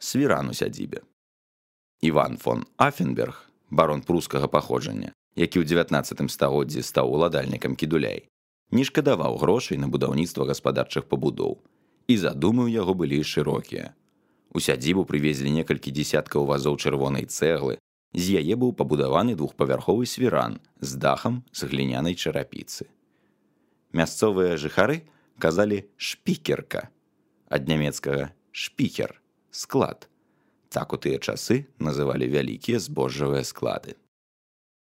свіран у сядзібе. Іван фон Афенберг, барон прускага паходжання, які ў 19 стагоддзі стаў уладальнікам Кідуляй, не шкадаваў грошай на будаўніцтва гаспадарчых пабудоў, і задумы ў яго былі шырокія. У сядзібу прывезлі некалькі дзесяткаў вазоў чырвонай цэглы, з яе быў пабудаваны двухпавярховы свіран з дахам з глінянай чарапіцы. Мясцовыя жыхары казалі шпікерка, ад нямецкага шпікер, склад. Так у тыя часы называлі вялікія збожжавыя склады.